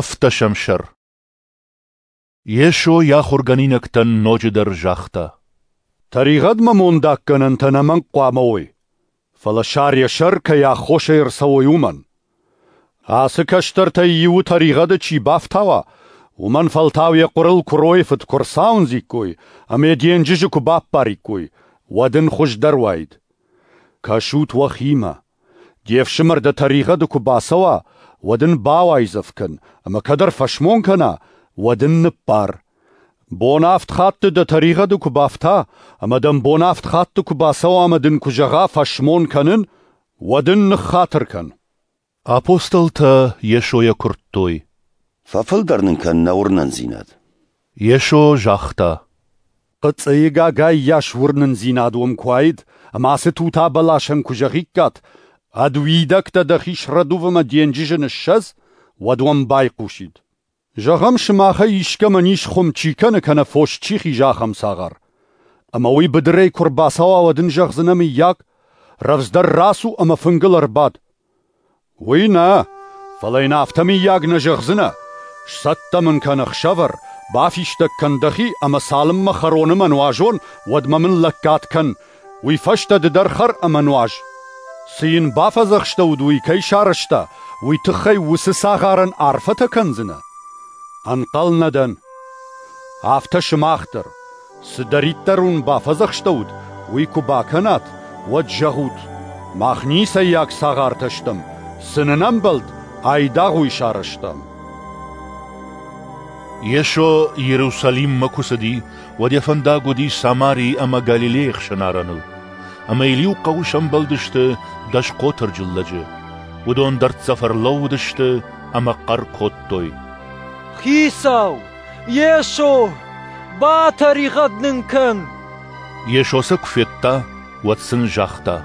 Ӕвддӕсӕм сӕр. Йесо йӕ ахуыргӕнинӕгтӕн ноджыдӕр загъта: Тӕригъӕдмӕ мондаггӕнӕнтӕ ӕнӕмӕнг хъуамӕ уой, фӕлӕ сар йӕ сӕр кӕй аххосӕй ӕрцӕуой, уымӕн. Ацы кӕстӕртӕй иуы тӕригъӕды чи бафтауа, уымӕн фӕлтау йӕ хъуырыл куыройы фыд куы рцауындзиккой ӕмӕ йӕ денджызы куы баппариккой, уӕд ын хуыздӕр уаид. Кӕсут уӕхимӕ. Де фсымӕр дӕ тӕригъӕды куы бацӕуа, уӕд ын бауайдзӕф кӕн, ӕмӕ кӕд ӕрфӕсмон кӕна, уӕд ын ныббар. Бон авд хатты дӕ тӕригъӕды куы бафта, ӕмӕ дӕм бон авд хатты куы бацӕуа ӕмӕ дын куы зӕгъа фӕсмон кӕнын, уӕд ын ныххатыр кӕн. Апостолтӕ Йесойӕ куырдтой: Фӕфылдӕр нын кӕн нӕ уырнындзинад. Йесо загъта: Хъыцъыйы гагайы йас уырнындзинад уӕм куы уаид, ӕмӕ ацы тута бӕласӕн куы зӕгъиккат, ӕд уидӕгтӕ дӕхи срӕдув ӕмӕ денджызы ныссӕдз, уӕд уӕм байхъусид. Зӕгъӕм, сымахӕй искӕмӕн ис хуым чи кӕны кӕнӕ фос чи хизы, ахӕм цагъар. Ӕмӕ уый быдырӕй куы рбацӕуа, уӕд ын зӕгъдзынӕ мыййаг, рӕвдздӕр рацу ӕмӕ фынгыл ӕрбад. Уый нӕ, фӕлӕ йын афтӕ мыййаг нӕ зӕгъдзынӕ, сцӕттӕ мын кӕн ӕхсӕвӕр, бафистӕг кӕн дӕхи ӕмӕ цалынмӕ хӕрон ӕмӕ нуазон, уӕдмӕ мын лӕггад кӕн, уый фӕстӕ ды дӕр хӕр ӕмӕ нуаз. Цы йын бафӕдзӕхстӕуыд, уый кӕй сарӕзта, уый тыххӕй уыцы цагъарӕн арфӕтӕ кӕндзынӕ? Ӕнхъӕл нӕ дӕн. Афтӕ сымах дӕр, цыдӕриддӕр уын бафӕдзӕхстӕуыд, уый куы бакӕнат, уӕд зӕгъут: мах ницӕййаг цагъартӕ стӕм, цы нын ӕмбӕлд, айдагъ уый сарӕзтам. Йесо Иерусалиммӕ куы цыди, уӕд йӕ фӕндаг уыди Самари ӕмӕ Галилейы хсӕн арӕныл. Ӕмӕ йыл иу хъӕуы сӕмбӕлдысты дӕс хъотырджын лӕджы. Уыдон дӕрддзӕф ӕрлӕууыдысты ӕмӕ хъӕр кодтой: Хицау! Йесо! Батӕригъӕд нын кӕн! Йесо сӕ куы федта, уӕд сын загъта: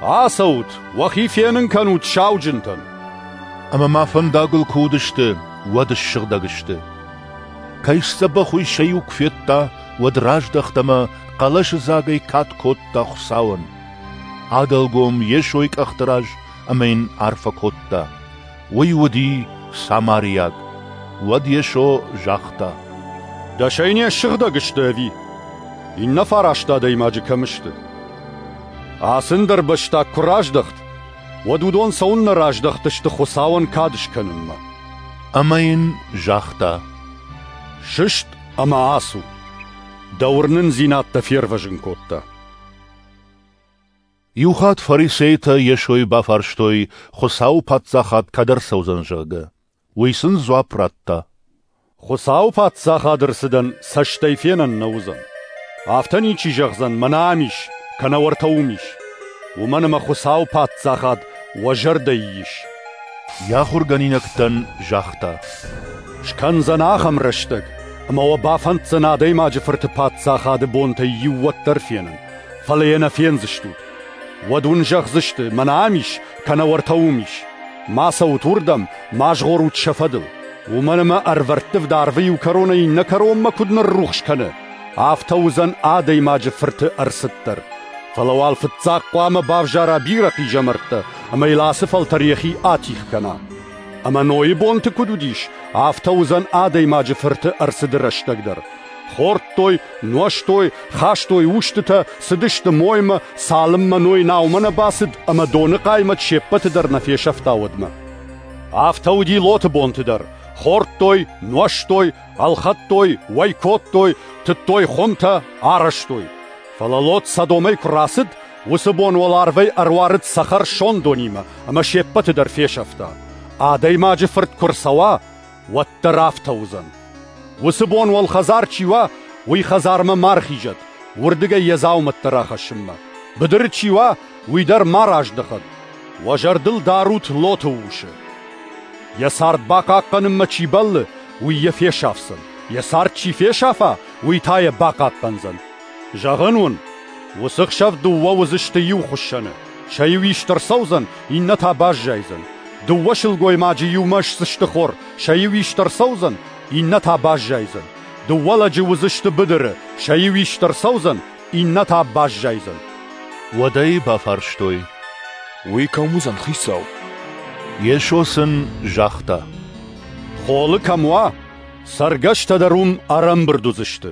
Ацӕут, уӕхи фенын кӕнут сауджынтӕн. Ӕмӕ ма фӕндагыл куы уыдысты, уӕд ссыгъдӕг сты. Кӕй сдзӕбӕх, уый сӕ иу куы федта, уӕд раздӕхт ӕмӕ хъӕлӕсыдзагӕй кад кодта Хуыцауӕн. Адӕлгом Йесойы къӕхты раз ӕмӕ йын арфӕ кодта. Уый уыди самариаг. Уӕд Йесо загъта: Дӕсӕй не ссыгъдӕг сты ӕви? Иннӕ фараст адӕймаджы кӕм сты? Ацы ӕндӕрбӕстаг куы раздӕхт, уӕд уыдон цӕуыннӕ раздӕхтысты Хуыцауӕн кад скӕнынмӕ? Ӕмӕ йын загъта: Сыст ӕмӕ ацу, дӕ уырнындзинад дӕ фервӕзын кодта. Иухатт фарисейтӕ Йесойы бафарстой, Хуыцауы паддзахад кӕд ӕрцӕудзӕн, зӕгъгӕ. Уый сын дзуапп радта: Хуыцауы паддзахады ӕрцыдӕн цӕстӕй фенӕн нӕ уыдзӕн. Афтӕ ничи зӕгъдзӕн, мӕнӕ ам ис, кӕнӕ уӕртӕ уым ис. Уымӕн ӕмӕ Хуыцауы паддзахад уӕ зӕрдӕйы ис. Йӕ ахуыргӕнинӕгтӕн загъта: Скӕндзӕн ахӕм рӕстӕг, ӕмӕ уӕ бафӕнддзӕн Адӕймаджы Фырты паддзахады бонтӕй иу уӕддӕр фенын, фӕлӕ йӕ нӕ фендзыстут. Уӕд уын зӕгъдзысты, мӕнӕ ам ис, кӕнӕ уӕртӕ уым ис. Ма цӕут уырдӕм, ма згъорут сӕ фӕдыл. Уымӕн ӕмӕ ӕрвӕрттывд арвы иу кӕронӕй иннӕ кӕронмӕ куыд ныррухс кӕны, афтӕ уыдзӕн Адӕймаджы Фырты ӕрцыд дӕр. Фӕлӕ уал фыццаг хъуамӕ бавзара бирӕ хъизӕмӕрттӕ, ӕмӕ йыл ацы фӕлтӕр йӕхи атигъ кӕна. Ӕмӕ Нойы бонты куыд уыдис, афтӕ уыдзӕн Адӕймаджы Фырты ӕрцыды рӕстӕг дӕр. Хордтой, нуӕзтой, хастой устытӕ, цыдысты моймӕ, цалынмӕ Ной наумӕ нӕ бацыд ӕмӕ доны хъаймӕт се ппӕты дӕр нӕ фесӕфта, уӕдмӕ. Афтӕ уыди Лоты бонты дӕр. Хордтой, нуӕзтой, ӕлхӕдтой, уӕй кодтой, тыдтой хуымтӕ, арӕзтой. Фӕлӕ Лот Содомӕй куы рацыд, уыцы бон уӕларвӕй ӕруарыд цӕхӕр сондонимӕ ӕмӕ се ппӕты дӕр фесӕфта. Адӕймаджы Фырт куы рцӕуа, уӕддӕр афтӕ уыдзӕн. Уыцы бон уӕлхӕдзар чи уа, уый хӕдзармӕ ма рхизӕд, уырдыгӕй йӕ дзаумӕттӕ рахӕссынмӕ. Быдыры чи уа, уый дӕр ма раздӕхӕд. Уӕ зӕрдыл дарут Лоты усы. Йӕ цард бахъахъхъӕнынмӕ чи бӕллы, уый йӕ фесафдзӕн. Йӕ цард чи фесафа, уый та йӕ бахъахъхъӕндзӕн. Зӕгъын уын, уыцы хсӕв дыууӕ уыдзысты иу хуыссӕны. Сӕ иу ист ӕрцӕудзӕн, иннӕ та баззайдзӕн. Дыууӕ сылгоймаджы иумӕ сдзысты хор, сӕ иу ист ӕрцӕудзӕн, иннӕ та баззайдзӕн. Дыууӕ лӕджы уыдзысты быдыры, сӕ иу ист ӕрцӕудзӕн, иннӕ та баззайдзӕн. Уӕд ӕй бафарстой: Уый кӕм уыдзӕн, Хицау? Йесо сын загъта: Холы кӕм уа, цӕргӕстӕ дӕр уым ӕрӕмбырд уыдзысты.